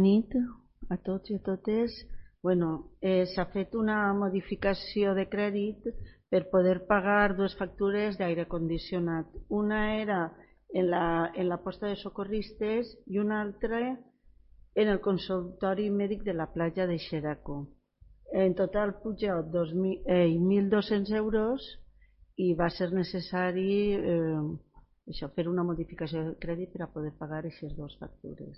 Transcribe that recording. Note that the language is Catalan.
Nit a tots i a totes. S'ha fet una modificació de crèdit per poder pagar dues factures d'aire condicionat. Una era en la posta de socorristes i una altra en el consultori mèdic de la platja de Xeraco. En total puja 1.200 euros i va ser necessari fer una modificació de crèdit per a poder pagar aquestes dues factures.